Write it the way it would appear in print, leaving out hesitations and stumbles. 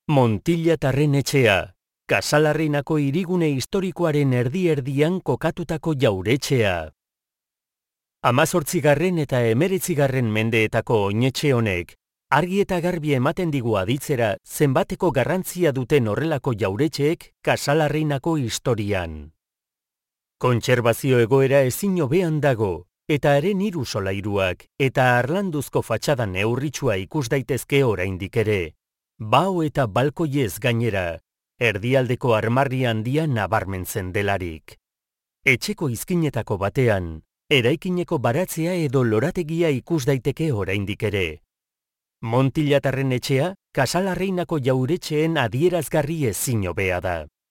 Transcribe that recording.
Montillatarren etxea, Kasalarreinako hirigune historikoaren erdi-erdian kokatutako jauretxea. 18. eta 19. mendeetako oinetxe honek, argi eta garbi ematen digu aditzera zenbateko garrantzia duten horrelako jauretxeek Kasalarreinako historian. Kontserbazio egoera ezin hobean dago, eta haren 3 solairuak eta harlanduzko fatxada neurritsua ikus daitezke oraindik ere. Bao eta balkoiez gainera, erdialdeko armarri handia nabarmentzen delarik. Etxeko izkinetako batean, eraikineko baratzea edo lorategia ikus daiteke oraindik ere. Montillatarren etxea, Kasalarreinako jauretxeen adierazgarri ezin hobea da.